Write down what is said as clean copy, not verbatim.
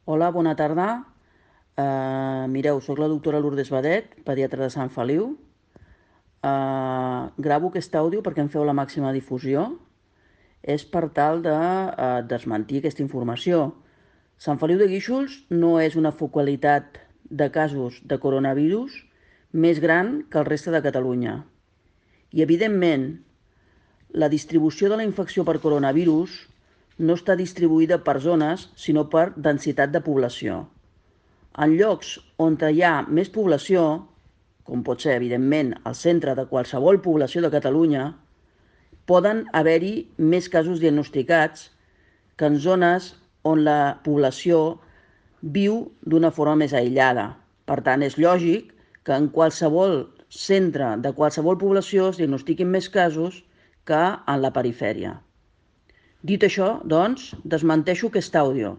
Hola, bona tarda. Mireu, sóc la doctora Lourdes Badet, pediatra de Sant Feliu. Gravo aquest àudio perquè em feu la màxima difusió. És per tal de desmentir aquesta informació. Sant Feliu de Guíxols no és una focalitat de casos de coronavirus més gran que el reste de Catalunya. I, evidentment, la distribució de la infecció per coronavirus no està distribuïda per zones, sinó per densitat de població. En llocs on hi ha més població, com pot ser, evidentment, el centre de qualsevol població de Catalunya, poden haver-hi més casos diagnosticats que en zones on la població viu d'una forma més aïllada. Per tant, és lògic que en qualsevol centre de qualsevol població es diagnostiquin més casos que en la perifèria. Dit això, doncs, desmenteixo aquest àudio.